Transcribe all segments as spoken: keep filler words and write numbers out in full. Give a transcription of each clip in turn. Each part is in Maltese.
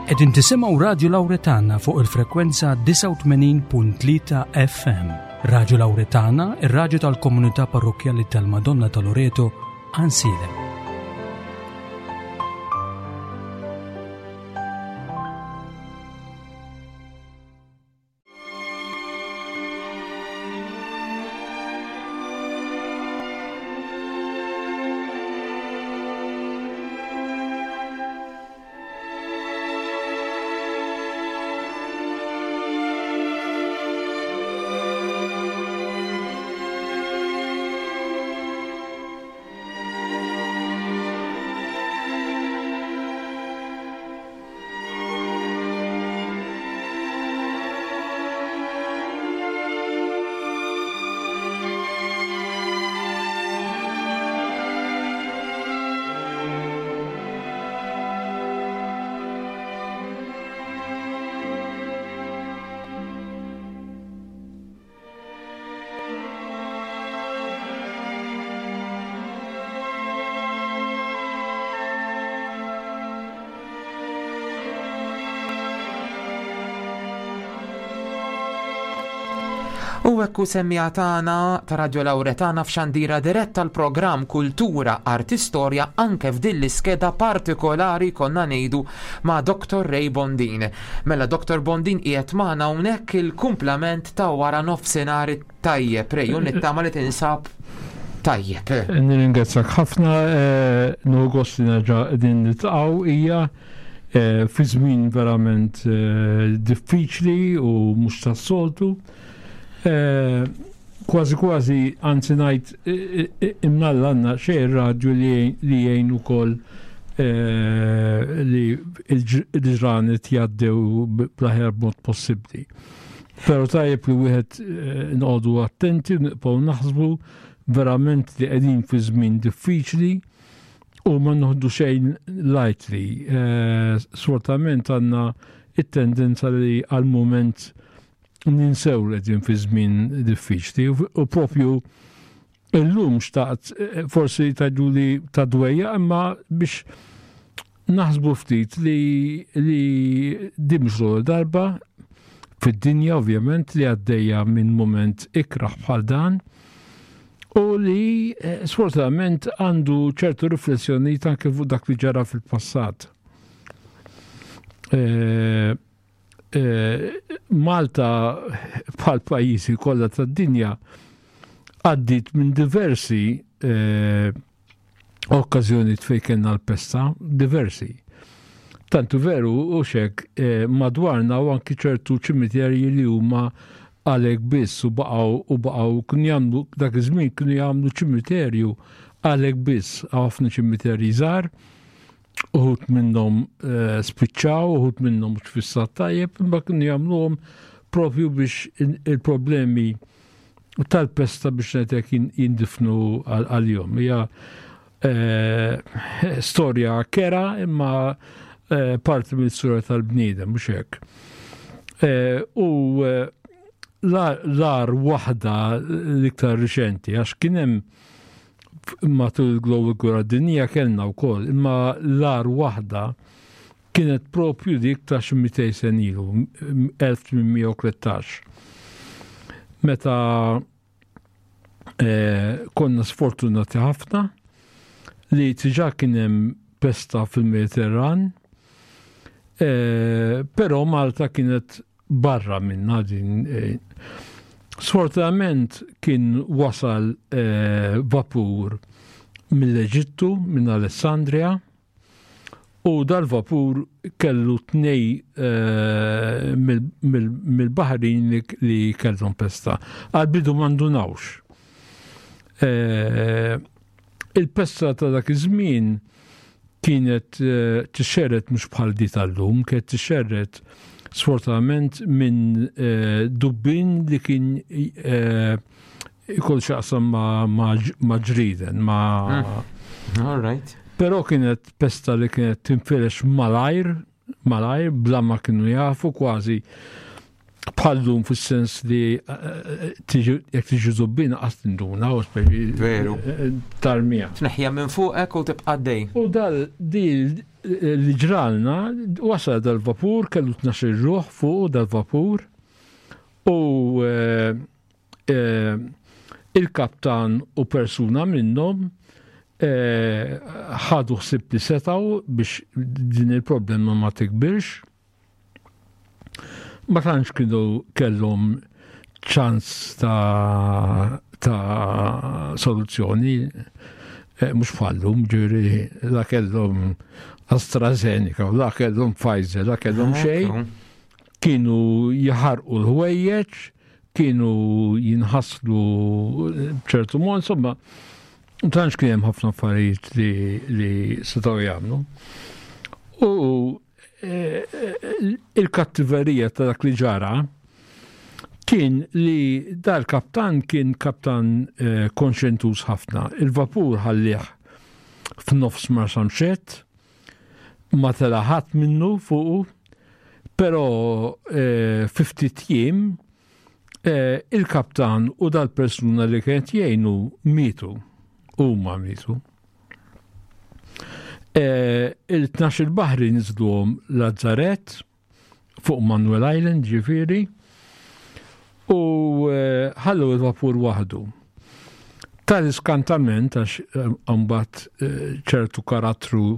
Qegħdin tisimgħu Radio Lauretana fuq il-frekwenza disgħa u tmenin punt tlieta F M. Radio Lauretana, ir-raġu tal-komunità parrokkjali tal-Madonna ta' Loreto, Għajnsielem. U ekku semmiegħa tagħna ta' Radio Lauretana f'xandira diretta l-programm Kultura Arti Storja, anke f'din l-iskeda partikolari konna ngħidu ma' Doctor Ray Bondin. Mela Doctor Bondin qiegħed magħna hawnhekk, il-kumplament ta' wara nofsinhar tajjeb. Ray, u nittama li tinsab tajjeb. Nirringrazzjak ħafna, eh, nieħu gost li nerġa' qegħdin niltaqgħu, hija eh, fi żmien verament eh, diffiċli u mhux tas-soltu. Kważi kważi, anzi ngħid, imnalla għandna xejn radju li jgħin ukoll li l-ġranet jgħaddew bl-aħjar mod possibbli. Però tajjeb li wieħed noqogħdu attenti, nibqgħu naħsbu verament li qegħdin fi żmien diffiċli u ma noħdu xejn lightly. Sfortunatament għandna it-tendenza li għal-moment ninsew li qegħdin fi żmien diffiċli u propju illum xtaqt, forsi tgħidu li ta' dwejjaq, imma biex naħsbu ftit li li din mhux l darba fid-dinja ovvjament li għaddejja minn moment ikraħ bħal dan u li sfortunatament għandu ċertu riflessjoni anke fuq dak li ġara fil-passat. E, e, Malta bħal pajjiżi kollha tad-dinja għaddit minn diversi e, okkażjoni fejn kellna l-pesta, diversi. Tantu veru u xek eh, madwarna u anki ċertu ċimiterji li huma għalek biss u baqgħu u baqgħu kienu jagħmlu, dak iż-żmien kienu jagħmlu ċimiterju għalek biss, ħafna ċimiterji żgħar, uħud minnhom eh, spiċċaw, uħud minnhom mhux fis-stat tajjeb, imma kienu jagħmluhom propju biex il-problemi tal-pesta biex ngħidlek jindifnu għal-jom. Hija eh, storja kerha imma eh, parti mill-storja tal-bniedem, mhux hekk. U l-agħar waħda l-iktar riċenti, għax kien hemm matul il-Global Gwerra Dinjija kellna wkoll, imma l-agħar waħda kienet propju dik ta' xi mitejn sena ilu, elf tmien mija u tlettax. Meta eh, konna sfortunati ħafna li diġà kien hemm pesta fil-Mediterran, eh, però Malta kienet barra minna din. Eh, sfortunatament kien wasal eh, vapur mill-Eġittu, minn Alessandria, u dal-vapur kellu tnej eh, mill-baħrin li kellhom pesta. Għal-bidu ma ndunawx. Eh, il-pesta ta' dak iż-żmien kienet eh, tixxerred mhux bħal di tal-lum, kienet tixxerred sfortunatament minn dubbin li kien ikollu x'jaqsam ma' ġrieden, ma' mm. All right. Però kienet pesta li kienet tinfirex malajr, malajr, bla ma kienu jafu kważi. Bħal-lum fis-sens li jekk tiġi żubbina qas tinduna u speċi Veru. tarmija. Tneħħija minn fuqek u tibqa' dej. U dal di li ġralna wasal dal-vapur, kellu tnax-il ruħ fuq dal-vapur u eh, eh, il-kaptan u persuna minnhom eh, ħadu ħsieb li setgħu biex din il-problema ma tikbirx. Ma tantx kienu kellhom ċans ta' ta' soluzzjoni, eh, mhux bħal-lum, ġifieri la kellhom AstraZeneca, la kellhom Pfizer, la kellhom xejn, kienu jaħarqu l-ħwejjeġ, kienu jinħaslu b'ċertu mod, insomma, tantx kien hemm ħafna affarijiet li, li setgħu jagħmlu. U eh, il-kattiverija ta' dak li ġara kien li dal-kaptan kien kaptan eh, konxjentuż ħafna. Il-vapur ħallih f'nofs Marsamxett, ma tela ħadd minnu fuqu, però eh, fi ftit jiem eh, il-kaptan u dal-persuna li kienet jgħinu mietu, huma mietu. Eh, Il-tnax il-baħri niżluhom Lazzaret fuq Manuel Island, ġifieri, u eh, ħallu il-vapur waħdu. Tal-iskantament, għax eh, mbagħad eh, ċertu karattru,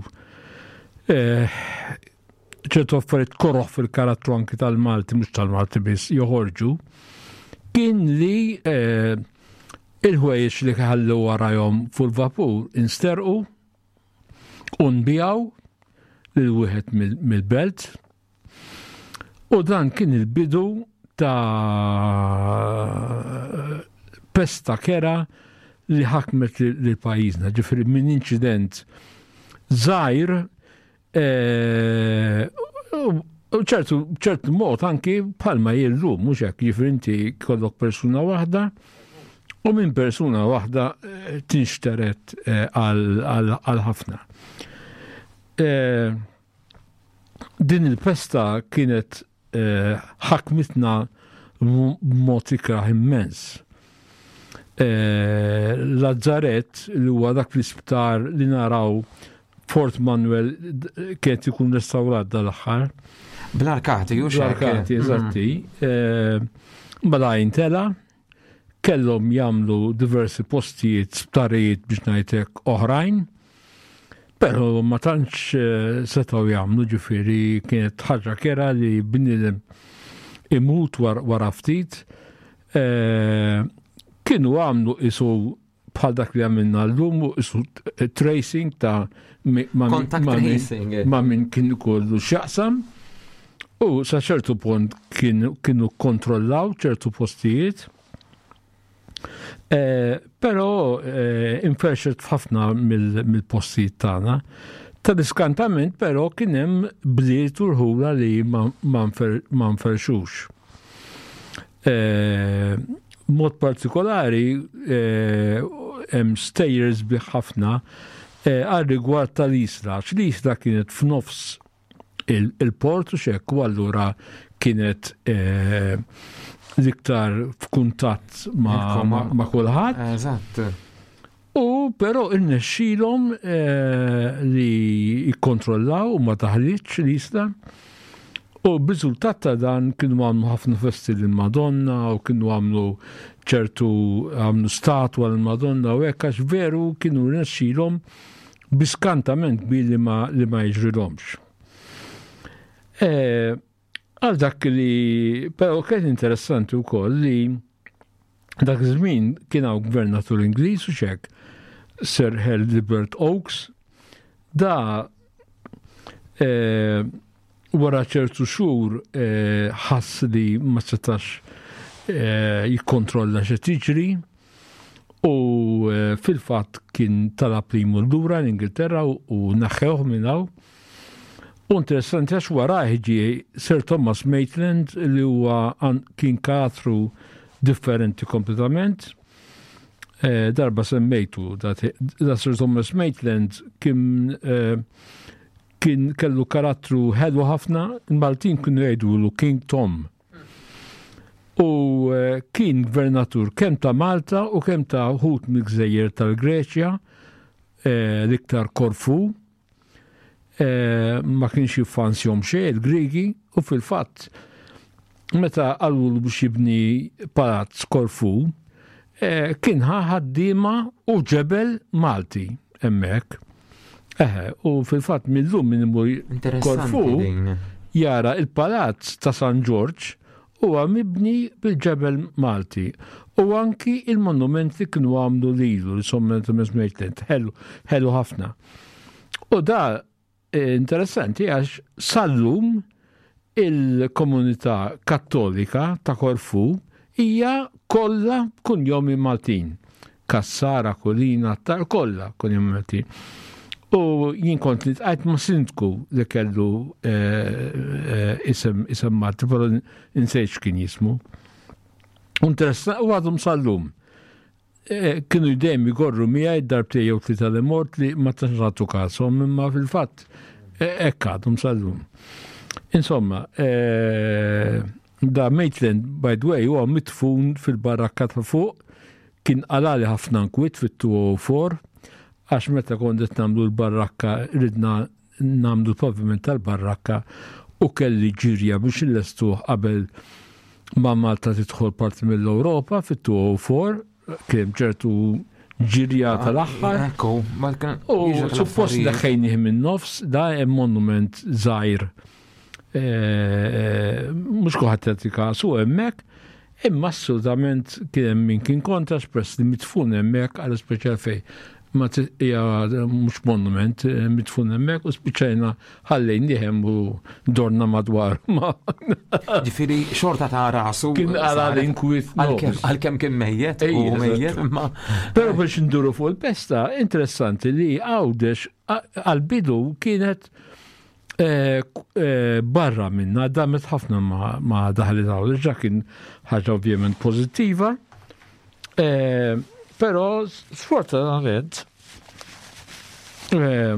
eh, ċertu affarijiet koroh fil-karattru anki tal-Malti, mhux tal-Malti biss, joħorġu, kien li eh, il-ħwejjeġ li ħallu warajhom fuq il-vapur insterqu u nbiegħu lil wieħed mill-belt u dan kien il-bidu ta' pesta kerha li ħakmet lil pajjiżna, ġifieri minn inċident żgħir eh, u ċertu ċertu mod anki bħalma illum, mhux hekk, ġifieri inti kollok persuna waħda u minn persuna waħda eh, tinxteret eh, għal ħafna. Din il-pesta kienet ħakmitna b'mod ikrah immens. Lazzaret, li huwa dak l-isptar li naraw Fort Manuel kienet ikun restawrat dal-aħħar. Bl-arkati, u Bl-arkati, eżatti. Mela intela, kellhom jagħmlu diversi postijiet, sptarijiet biex ngħidlek oħrajn, però ma tantx setgħu jagħmlu, ġifieri kienet ħaġa kerha li bniedem imut wara ftit. Kienu għamlu isu bħal dak li għamilna l-lum, isu tracing ta' ma' min kien kollu x'jaqsam, u sa ċertu punt kienu kontrollaw ċertu postijiet. Però inferxet f'ħafna mill-postijiet tagħna. Tal-iskantament però kien hemm bliet u rħula li ma nferxux. Mod partikolari hemm stejjer sbieħ ħafna għal rigward tal-Isla. L-Isla kienet f'nofs il-port u xek, u allura kienet l-iktar f'kuntatt ma' kulħadd. Eżatt. U però irnexxielhom li jikkontrollaw u ma taħlitx l-Isla. U b'riżultat ta' dan kienu għamlu ħafna festi lill-Madonna u kienu għamlu ċertu għamlu statwa lill-Madonna u hekk, għax veru kienu rnexxielhom biskantament kbir li ma li ma jiġrilhomx. Għal dak li però kien interessanti wkoll li dak iż-żmien kien hawn gvernatur Ingliż u xek, Sir Herbert Oakes, da wara ċertu xhur ħass li ma setax jikkontrolla x'qed jiġri u fil-fatt kien talab li jmur lura l-Ingilterra u naħħewh minn hawn. U interessanti għax warajh ġie Sir Thomas Maitland li huwa kien karattru differenti kompletament. Darba semmejtu da Sir Thomas Maitland kien kien kellu karattru ħelu ħafna, il-Maltin kienu jgħidulu King Tom. U eh, kien gvernatur kemm ta' Malta u kemm ta' wħud mill-gżejjer tal-Greċja, eh, l-iktar Korfu, eh, ma kienx jiffansjahom xejn il-Grigi u fil-fatt meta qalulu biex jibni palazz Korfu, eh, kien ħa ħaddiema u ġebel Malti hemmhekk. Eħe, u fil-fatt millum min imur Interessanti Korfu din. Jara il-palazz ta' San Ġorġ huwa mibni bil-ġebel Malti u anki il-monument li kienu għamlu lilu li sommen Thomas Maitland, ħelu, ħelu ħafna. U da eh, interessanti għax sal-lum il-komunità Kattolika ta' Korfu hija kollha kunjomi Maltin. Kassara, Kulina, tar kollha kunjomi Maltin. U jien kont li tqajt ma' sindku li kellu eh, eh, isem isem Malti, però insejt x'kien jismu. Interessa u għadhom sal-lum. Eh, Kienu dejjem jgorru miegħi darbtejn jew tlieta li mort li ma tantx nagħtu kasom, imma fil-fatt eh, hekk għadhom sal-lum. Insomma, eh, da Maitland, by the way, huwa mitfun fil-barrakka ta' fuq, kien qalagħli ħafna nkwiet fit-elfejn u erbgħa, għax meta kont qed nagħmlu l-barrakka, ridna nagħmlu l-paviment tal-barrakka u kelli ġirja biex illestuh qabel ma Malta tidħol parti mill-Ewropa fit-elfejn u erbgħa, kien ċertu ġirja tal-aħħar. Ekku, ma kien. U suppost neħħejnieh minn nofs, da hemm monument żgħir. Eh, Mhux kulħadd jagħti kasu hemmhekk, imma assolutament kien hemm min kien kontra xpress li mitfun hemmhekk għal speċjal fej. Ma t- hija mhux monument, eh, mitfun hemmhekk u spiċċajna ħallejnieh hemm u dorna madwar. Ma Ġifieri xorta ta' rasu. Kien għala l-inkwiet Għalkemm nofs. Għalkemm kien mejjet Ej, u eżatt. mejjet, imma. Pero biex nduru fuq il-pesta, interessanti li Għawdex għal-bidu kienet eh, eh, barra minna, damet ħafna ma, ma daħlet Għawdex, ġa kien ħaġa ovvjament pozittiva. Eh, pero sfortunatament, eh,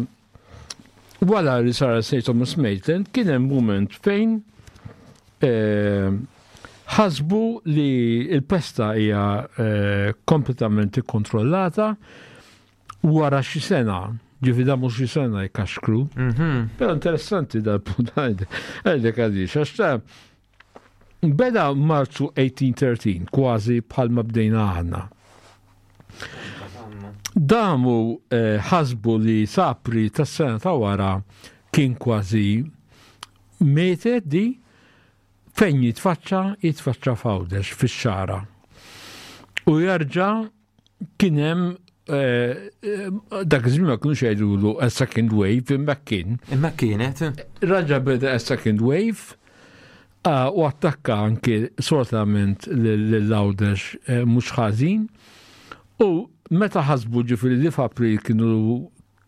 wara li sara Saint Thomas Maitland, kien hemm moment fejn eh, ħasbu li il-pesta hija eh, kompletament ikkontrollata wara xi sena, ġifi da mhux xi sena jkaxkru. Mhm. Però interessanti dal-punt għandek għaliex, għax ta' beda Marzu elf tmien mija u tlettax, kważi bħalma bdejna aħna. Damu eh, ħasbu li s'April tas-sena ta' wara kien kważi mietet di fejn jitfaċċa, jitfaċċa f'Għawdex fix-Xagħra. U jarġa' kien hemm eh, eh, dak iż-żmien ma kienux jgħidulu a second wave, imma kien. Imma kienet. Raġa beda a second wave ah, u attakka anki sortament l-Għawdex eh, mhux ħażin. U meta ħasbu ġifieri li f'April kienu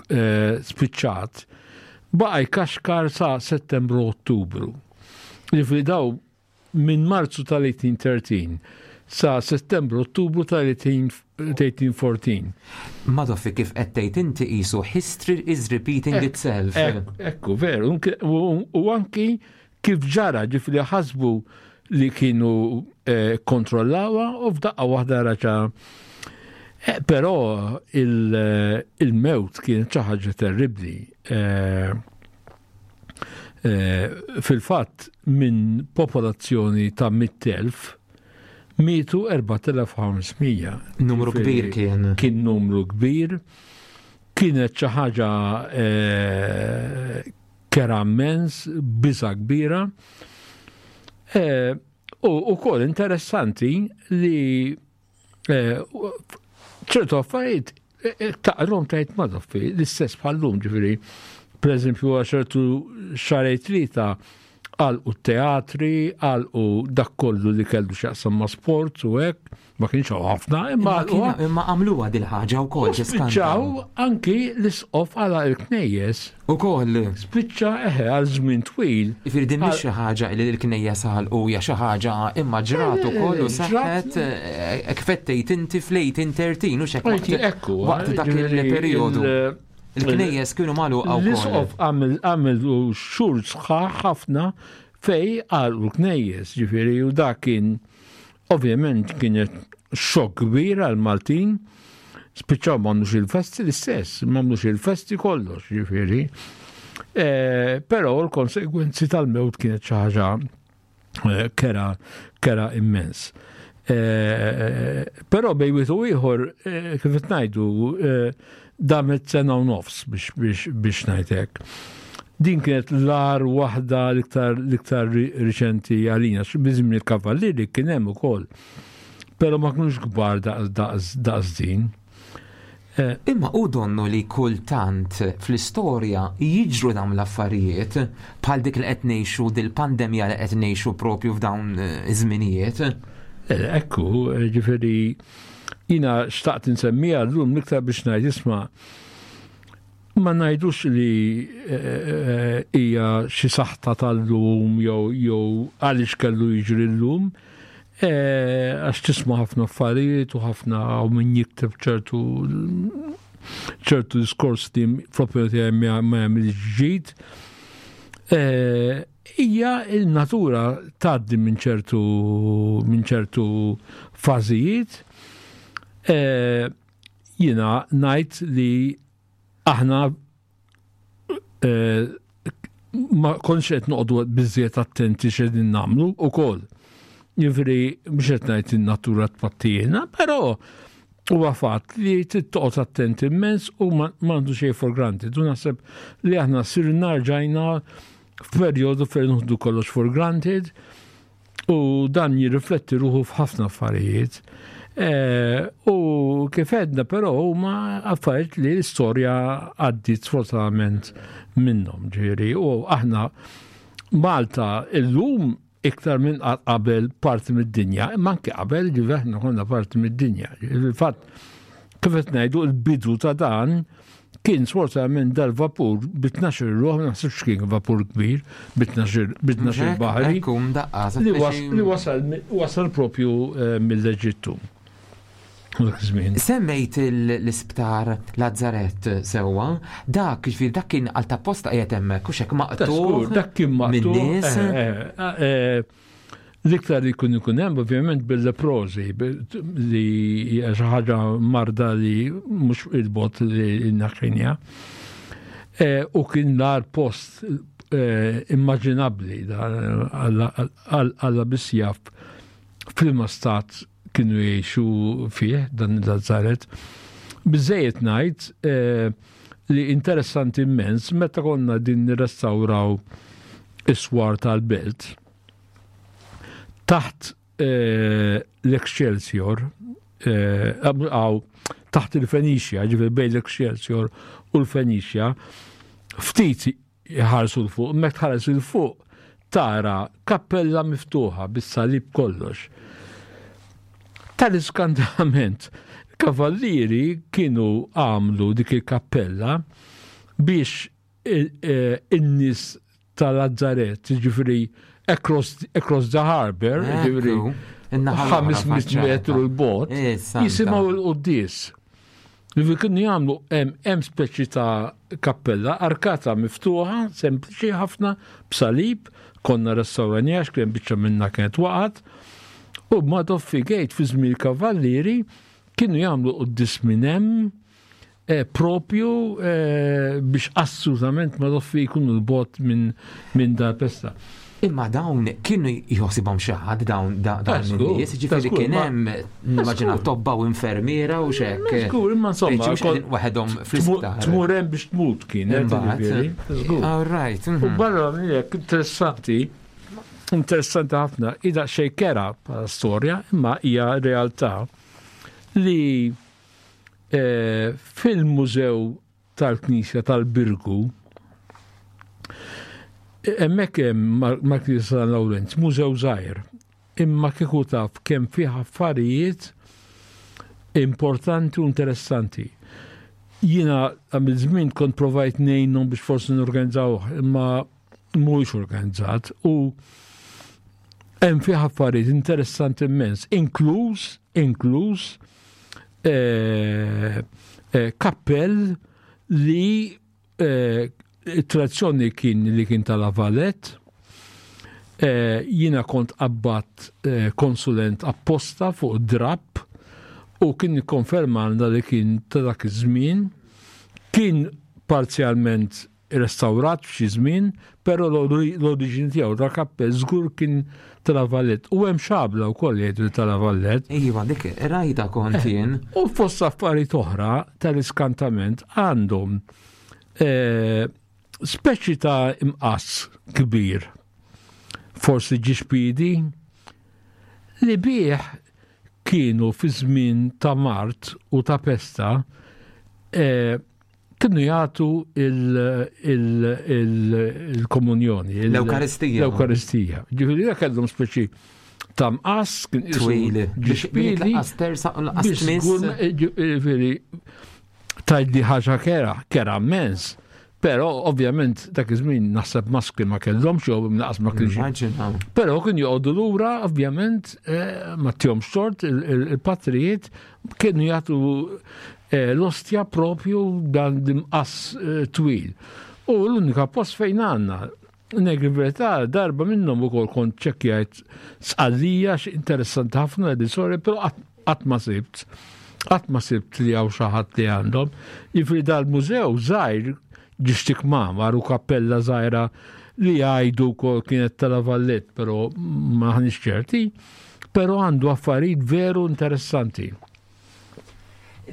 eh, spiċċat, baqa jkaxkar sa Settembru, Ottubru. Ġifieri daw minn Marzu tal-elf tmien mija u tlettax sa Settembru, Ottubru tal-elf tmien mija u erbatax. Madoffi, kif qed tgħid inti, qisu history is repeating itself. Ek- Ekku, veru, unke- u u anki kif ġara, ġifieri ħasbu li kienu eh, kontrollawa u f'daqqa waħda raġa. Eh, però il- eh, il-mewt kienet xi ħaġa terribbli. Eh, eh, Fil-fatt minn popolazzjoni ta' mitt elf mietu erbat elef u ħames mija. Numru kbir kien. Kien numru kbir. Kienet xi ħaġa eh, kera immens, biża kbira. Eh, U ukoll interessanti li eh, ċertu affarijiet eh, eh, taqrom tajt madoffi, l-istess bħallum ġifieri. Per eżempju, ċertu xahrejn tlieta għalqu teatri, għalqu dak kollu li kellu x'jaqsam ma' sport u hekk, ma kienx hawn ħafna, imma Imma għalqu kien- Imma għamluha dil-ħaġa wkoll. U spiċċaw anki l-isqof għala il-knejjes, Ukoll. spiċċa eħe għal żmien twil. Ġifieri din mhix xi ħaġa li l-knejja għalqu hija xi ħaġa imma ġrat ukoll u Eh, ġrat. seħħet eh, kif qed tgħid inti fl-elf tmien mija u tlettax u xek waqt Ekku, waqt dak ġifieri il-perjodu. il- Il-knejjes kienu magħluqa wkoll. L-isqof għamil għamil u xhur sħaħ ħafna fej għalqu l-knejjes, ġifieri, u dak kien Ovvjament kienet xokk kbir għal-Maltin, spiċċaw m'għamlux il-festi l-istess, m'għamlux il-festi kollox, ġifieri. Eh, però l-konsegwenzi tal-mewt kienet xi ħaġa eh, kera kera immens. Eh, però bejn wieħed u ieħor, kif qed ngħidu, damet sena u nofs biex biex biex ngħidlek. Din kienet l-agħar waħda l-iktar l-iktar riċenti għalina, biżmien il-Kavallieri kien hemm ukoll. Però ma kienux kbar daqs daqs din. Eh, Imma u donnu li kultant fl-istorja jiġru dawn l-affarijiet bħal dik li qed ngħixu, dil-pandemija li qed ngħixu propju f'dawn eh, iż-żminijiet. Eh, ekku, ġifieri jiena xtaqt insemmija llum l-iktar biex ngħid, isma', ma ngħidux li hija xi saħta tal-lum jew jew għaliex kellu jiġri llum, għax tisma' ħafna affarijiet u ħafna u min jikteb ċertu ċertu diskors li fl-opinjoni tiegħi ma jagħmilx ġid. Hija il-natura, tgħaddi minn ċertu minn ċertu fażijiet. Jiena ngħid li aħna ma konniex qed noqogħdu biżżejjed attenti x'qegħdin nagħmlu ukoll. Jiġifieri mhux qed ngħid in-natura tpattijena, però huwa fatt li trid toqgħod attent immens u m'għandu xejn for granted. U naħseb li aħna sirna rġajna f'perjodu fejn nieħdu kollox for granted u dan jirrifletti ruħu f'ħafna affarijiet. U kif għedna, però huma affarijiet li l-istorja għaddiet sfortunatament minnhom, ġifieri. U aħna Malta illum iktar minn qabel parti mid-dinja, imma anke qabel, ġifieri aħna konna parti mid-dinja. Il-fatt, kif qed ngħidu, il-bidu ta' dan kien sfortunatament dal-vapur bi tnax-il ruħ, ma naħsibx kien vapur kbir, bi tnax-il baħri. Li wasal wasal propju eh, mill-Eġittu. Semmejt l-isptar Lazzaret sewwa, dak ġifieri dak kien għal tapposta qiegħed hemmhekk u xek maqtugħ. Dak kien maqtugħ. Eh, eh, l-iktar li jkun ikun hemm ovvjament bil-leprosi, li hija xi ħaġa marda li mhux il-bogħod li naħħinja. U kien l-agħar post immaġinabbli, Alla biss jaf f'liema stat kienu jgħixu fih dan il-Lazzaret. Biżżejjed ngħid li interessanti immens, meta konna din nirrestawraw is-swar tal-belt, taħt l-Excelsior, għaw, taħt il-Fenicia, ġifieri bejn l-Excelsior u l-Fenicia, ftit jħarsu l-fuq, mek tħares l-fuq tara kappella miftuħa bis-salib kollox. Tal-iskandament, kavallieri kienu għamlu dik il-kappella biex in-nies tal-Lazzaret, ġifieri across, across the harbor, ġifieri ħames mitt metru l-bogħod, jisimgħu l-quddies. Ġifieri kienu jagħmlu hemm speċi ta' kappella, arkata miftuħa, sempliċi ħafna, b'salib, konna restawrajnieha għax kien biċċa minna kienet waqgħet, u Madoffi Gate fi żmien kavallieri kienu jagħmlu quddies minn hemm eh, propju eh, biex assolutament Madoffi jkunu l-bogħod minn min dal-pesta. Imma dawn kienu jħossibhom xi ħadd dawn dawn in-nies, ġifieri kien hemm, nimmaġina, tobba u infermiera u xek. Żgur, imma insomma, waħedhom fl-isptar. Tmur hemm biex tmut kien, ġifieri. All right. U barra minn hekk interessanti, interessanti ħafna, ida xejn kera bħala storja, imma hija realtà li eh, fil-Mużew tal-Knisja tal-Birgu, hemmhekk hemm mal-Knisja San Lawrenz, mużew żgħir, imma kieku taf kemm fih affarijiet importanti u interessanti. Jiena għamil żmien kont provajt ngħinhom biex forsi norganizzawh, imma mhuwiex organizzat u hemm fih affarijiet interessanti immens, inkluż inkluż eh, eh, kappell li eh, it-tradizzjoni kien li kien tal-Avalet, Eh, jiena kont qabbadt eh, konsulent apposta fuq drapp u kien ikkonfermalna li kien ta' dak iż-żmien, kien parzjalment restawrat f'xi żmien, però l-oriġini tiegħu ta' kappell żgur kien ta' La Vallette. U hemm xabla wkoll jgħidu ta' La Vallette. Iva, dik rajta kont jien. U fost affarijiet oħra tal-iskantament għandhom eh, speċi ta' imqass kbir, forsi ġiex piedi, li bih kienu fi żmien ta' mard u ta' pesta eh, kienu jagħtu il-komunjoni. L-Ewkaristija. L-Ewkaristija. Ġifieri dak kellhom speċi ta' mqass kien isu Twil. ġiex piedi. Lanqas tersa u lanqas Biex tmiss. żgur, ġifieri tgħidli ħaġa kerha, kerha immens. Però ovvjament dak iż-żmien naħseb maskri ma kellhomx jew lanqas ma kienx. Immaġina. Però kien joqogħdu lura ovvjament eh, ma tihomx tort il-patrijiet kienu jagħtu eh, l-ostja propju dan l-imqass eh, twil. U l-unika post fejn għandna Negri verità, darba minnhom ukoll kont ċekkjajt Sqallija interessanti ħafna di sorry, però qatt ma sibt. Qatt ma sibt li hawn xi ħadd li għandhom. Jiġifieri dal-mużew żgħir ġiex kmamar u kappella żgħira li jgħidu wkoll kienet ta' La Vallette, però m'aħniex ċerti, però għandu affarijiet veru interessanti.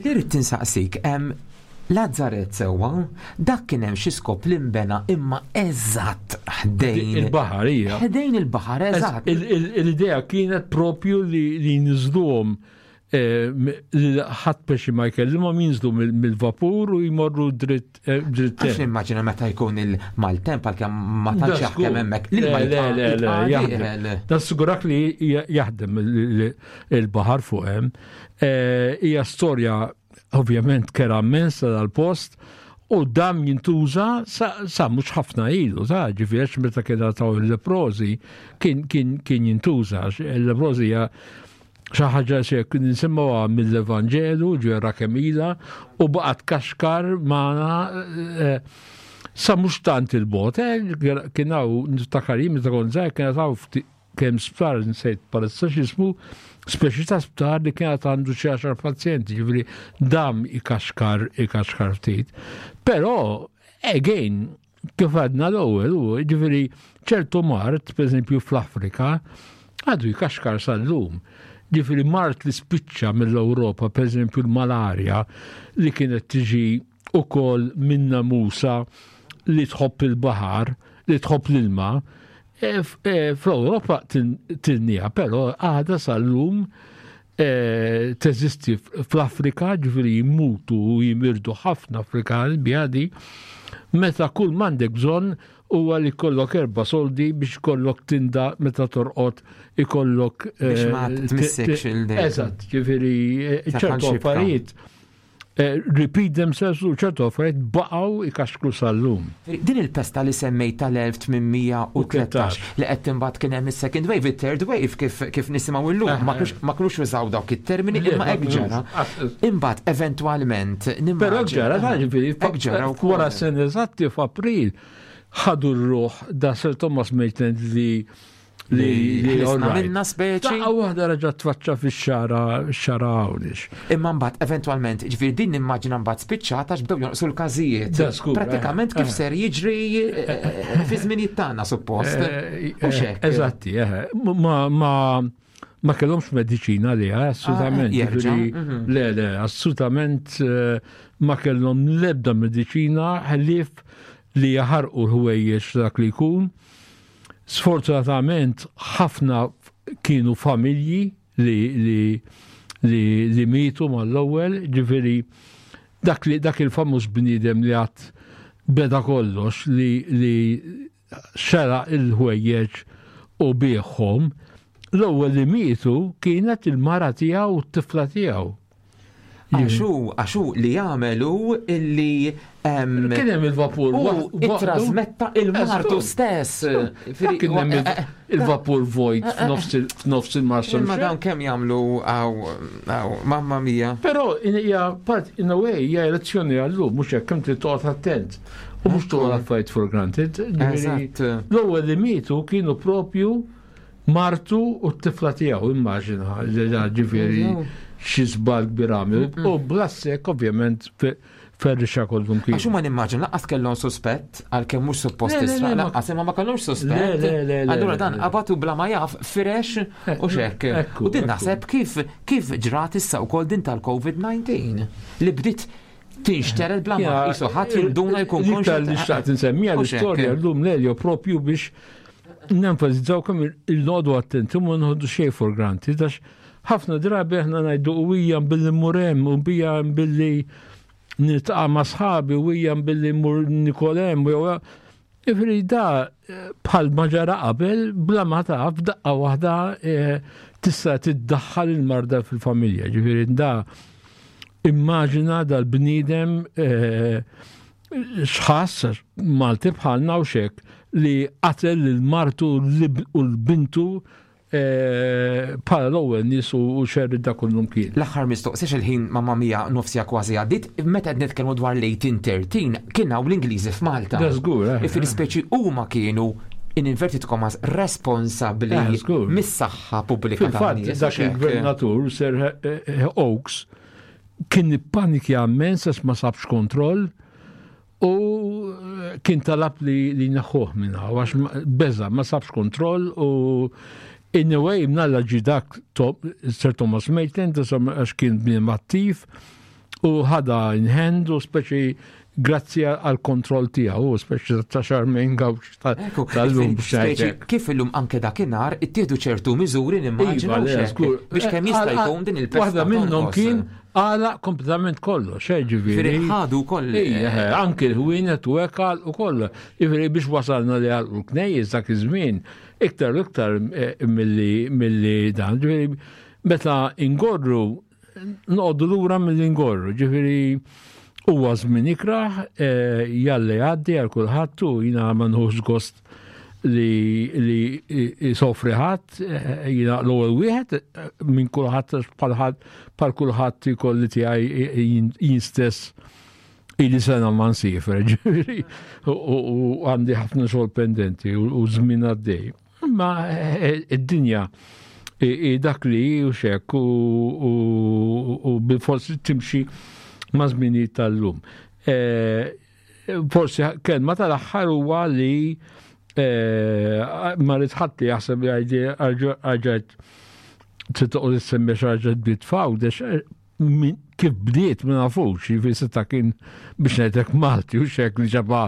Li rrid tinsaqsik, em, Lazzaret sewwa, dak kien hemm xi skop li nbena imma eżatt ħdejn. Il-baħar hija. Ħdejn il-baħar eżatt. Il- il- L-idea kienet propju li li jinżluhom eh, li ħadd peċi ma jkellimhom jinżlu mill- mill-vapur u jmorru dritt eh, dritt Għax nimmaġina meta jkun il-maltemp għalkemm ma tantx jaħdem hemmhekk. Le, le, le, le, jaħdem. jaħdem. Nassigurak li jaħdem il- il- il-baħar fuq hemm. Eh, Hija storja ovvjament kerha immensa dal-post u dam jintuża sa, sa mhux ħafna ilu, ta' ġifieri għax meta kien taw il-leprosi kien kien kien jintuża. għax Il-leprosi hija xi ħaġa xi kien nisimgħuha mill-Evanġelu, ġwera kemila, u baqgħet kaxkar magħna eh, sa mhux tant il-bot, eh, kien hawn niftakar jien meta kont żgħir kien hawn ftit kemm sptar nsejt palissa x'ismu, speċi ta' sptar li kienet għandu xi għaxar pazjenti, ġifieri dam ikaxkar ikaxkar ftit. Però, again, kif għadna l-ewwel, u ġifieri ċertu mard, per eżempju fl-Afrika, għadu jkaxkar sal-lum. Ġifieri mard li spiċċa mill-Ewropa, per eżempju l-malarja, li kienet tiġi ukoll minn namusa li tħobb il-baħar, li tħobb l-ilma, e, f- e, fl-Ewropa tilnieha, però għada sal-lum e, teżisti fl-Afrika, ġifieri jimutu u jimirdu ħafna Afrikani bjadi, meta kull m'għandek bżonn huwa li kollok erba soldi biex kollok tinda meta torqod ikollok. Biex ma eh, tmissekx t- il-dejt. Eżatt, ġifieri eh, Taħal ċertu xibka. affarijiet eh, repeat themselves u ċertu affarijiet baqgħu ikaxkru sal-lum. Din il-pesta li semmejt tal-elf tmien mija u tlettax li qed timbagħad kien hemm is-second wave, it-third wave kif kif nisimgħu llum, ma kinux ma kinux użaw dawk it-termini Le, imma ma hekk ġara. kinux. Imbagħad eventwalment Però nimmaġina- ġara, ta' ġifieri, Hekk ġara wkoll. wara sena eżatti f'April ħadu r-ruħ da Sir Thomas Maitland li li li ħlisna all right. minna speċi. Daqqa waħda reġa' tfaċċa fix-xagħra xagħra Għawdex. Imma mbagħad eventwalment, ġifieri din nimmaġina mbagħad spiċċata għax bdew jonqsu l-każijiet. Da, żgur, Pratikament eh, kif eh. ser jiġri eh, fi żminijiet tagħna suppost. Eh, U xek. Eżatti, eh. Ma ma ma kellhomx mediċina li, assolutament. Ah, jerġa', Ġifieri, mhm. Le, le, assolutament eh, ma kellhom l-ebda mediċina ħlief li jaħarqu l-ħwejjeġ dak li jkun. Sfortunatament ħafna kienu familji li li li, li mietu mal-ewwel, ġifieri dak li dak il-famuż bniedem li għat beda kollox li li xera il-ħwejjeġ u biegħhom, l-ewwel li mietu kienet il-mara tiegħu u t-tifla tiegħu. Għaxu, għaxu li jagħmelu illi em, Kien hemm il-vapur. u waħdu- ittrasmetta il-martu Eżatt. stess. Kien hemm il- il-vapur vojt f'nofs il- f'nofs il-Marsa. Imma dawn kemm jagħmlu għaw, għaw, mamma mia. Però in hija part in a way hija lezzjoni għallu, mhux hekk kemm trid toqgħod attent. U mhux tuħu l-affarijiet for granted. Ġifieri, Eżatt. l-ewwel li mietu kienu propju martu u t-tifla tiegħu, immaġina, ġifieri xi żball kbir għamel. U bl-assek ovvjament fe- ferrixa kollum kien. Għax huma nimmaġin lanqas kellhom suspett għalkemm mhux suppost Le, le, le, tisraq, ma- lanqas imma ma kellhomx suspett. Le, le, le, le, Allura le, dan le. qabatu bla ma jaf firex u xek. Ekku, U din ekku. naħseb kif kif ġrat issa wkoll din tal-COVID diciannove li bdiet tinxtered bla ma Ja, qisu ħadd jinduna jkun L-iktar li konxju. xtaqt insemmija U xek. l-istorja llum, Lelio, propju biex nenfasizzaw kemm il-noqogħdu attenti u ma nħoddu xejn for granted, għax ħafna drabi aħna ngħidu u hija billi mmur hemm u bija billi niltaqa' ma' sħabi u hija billi mmur nikol hemm u jew. Ġifieri da eh, bħal ma ġara qabel, bla ma taf, daqqa waħda eh, tista' tiddaħħal il-marda fil-familja. Ġifieri da immaġina dal-bniedem eh, xħass, Malti bħalna u xek, li qatel l-martu u l-bintu eh, bħala l-ewwel nies u u xerri da kullum kien. L-aħħar mistoqsija, il-ħin mamma mia nofsija kważi għaddit, meta qed nitkellmu dwar l-eighteen thirteen kien hawn l-Ingliżi f'Malta. Da żgur, eh, Ifiri speċi huma kienu, in inverted commas, responsabbli Eh, żgur. mis-saħħa pubblika Fil-fatt, tan-nies, dak hekk. il-gvernatur, Sir eh, eh, Oakes, kien ippanikja immens għax ma sabx kontroll u eh, kien talab li, li neħħuh minna, għax ma- beża, ma sabx kontroll u in a way mnalla ġi dak To- Sir Thomas Maitland, insomma, għax kien bniedem attiv u ħada in hand u speċi grazzi għal kontroll tiegħu, u speċi ta' Charmaine Gawx Ekku, tal-lum biex speċi ngħidlek. kif illum anke dakinhar ittieħdu ċertu miżuri nimmaġina Iva, u le, xek, żgur. biex kemm jista' Eh, jkun din il-pesta Waħda minnhom tonqos. kien għala kompletament kollox, eh, ġifieri. Ġifieri ħadu koll. Ija, eh, anki l-ħwienet u hekk u kollu. Ġifieri biex wasalna li għal l-knejjes dak iż-żmien, iktar u iktar eh, milli milli dan. Ġifieri meta ingorru, noqogħdu lura milli ingorru. Ġifieri huwa żmien ikraħ, eh, jalli jgħaddi għal kulħadd u jiena ma nħux gost li li jisofri ħadd, eh, jiena l-ewwel wieħed eh, minn kulħadd, bħal ħadd bħal kulħadd ikolli tiegħi jien jien stess ili sena ma nsiefer, ġifieri, u u għandi ħafna xogħol pendenti u u żmien għaddej. Imma eh, id-dinja i- i dak li u xek u u- u bil-forsi timxi ma' żminijiet tal-lum. Eh, Forsi kelma tal-aħħar huwa li eh, ma rrid ħadd li jaħseb li għajdi għarġajt trid toqgħod issemmi xi ħaġa bdiet f'Għawdex, eh, min- kif bdiet ma nafux, jiġifieri seta' kien biex ngħidlek Malti u xek li ġaba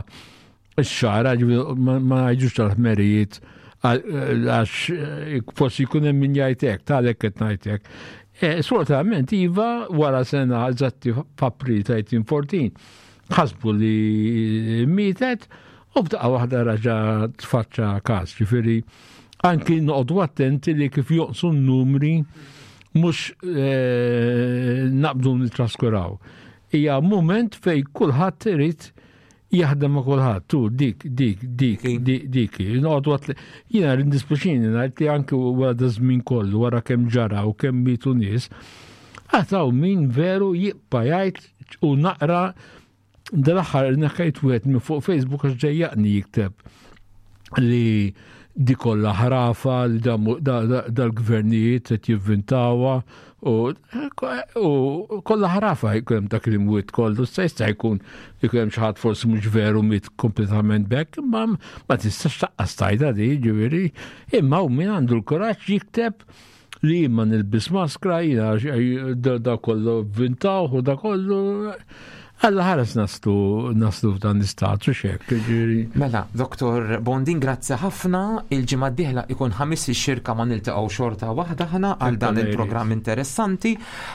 x-xara, ġifieri ma ma ngħidux tal-ħmerijiet għax eh, forsi jkun hemm min jgħid hekk, talek qed ngħid hekk. Eh, Sfortunatament iva, wara sena eżatti f'April ta' elf disa' mija u erbatax ħasbu li mietet u b'daqqa waħda raġa tfaċċa każ, ġifieri anki noqogħdu attenti li kif jonqsu n-numri mhux eh, naqbdu nitraskuraw. Hija moment fej kulħadd irid jaħdem ma' kulħadd, tu dik, dik, dik, dik, dik. Noqogħdu għat jiena jiddispjaċini ngħid li anke wara da żmien kollu, wara kemm ġara u kemm mietu nies, għataw min veru jibqa' jgħid u naqra dal-aħħar neħħejt wieħed minn fuq Facebook għax ġejjaqni jikteb li di kollha ħrafa li dal-gvernijiet qed jivvintawha u u kollha ħrafa jkun hemm dak il-mwiet kollu, se jista' jkun jkun hemm xi ħadd forsi mhux veru miet kompletament bekk, imma ma tistax taqqas tajda di, ġifieri, imma u min għandu l-kuraġġ jikteb li ma nilbis maskra, jiena da da kollu vvintaw u da kollu. Alla ħares naslu naslu f'dan l-istat u xek, ġifieri. Mela, Doktor Bondin, grazzi ħafna. Il-ġimgħa d-dieħla ikun ħamis ix-xirka ma niltaqgħu xorta waħda ħana għal dan il-programm interessanti.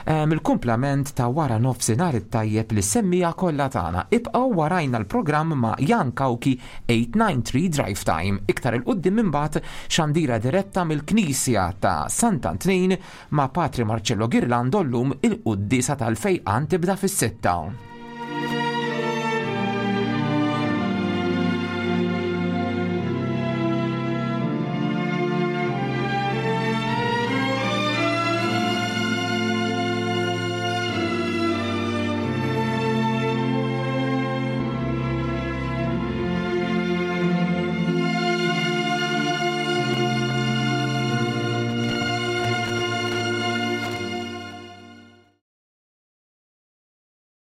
Em, Il-kumplament ta' wara nofsinhar it-tajjeb li semmija kollha tagħna. Ibqgħu warajna l-programm ma' Jan Kauki eight nine three Drive Time. Iktar 'il quddiem imbagħad xandira diretta mill-Knisja ta' Sant'Antnin ma' Patri Marcello Girlando, llum il-quddiesa tal-fejqan tibda fis-sitta.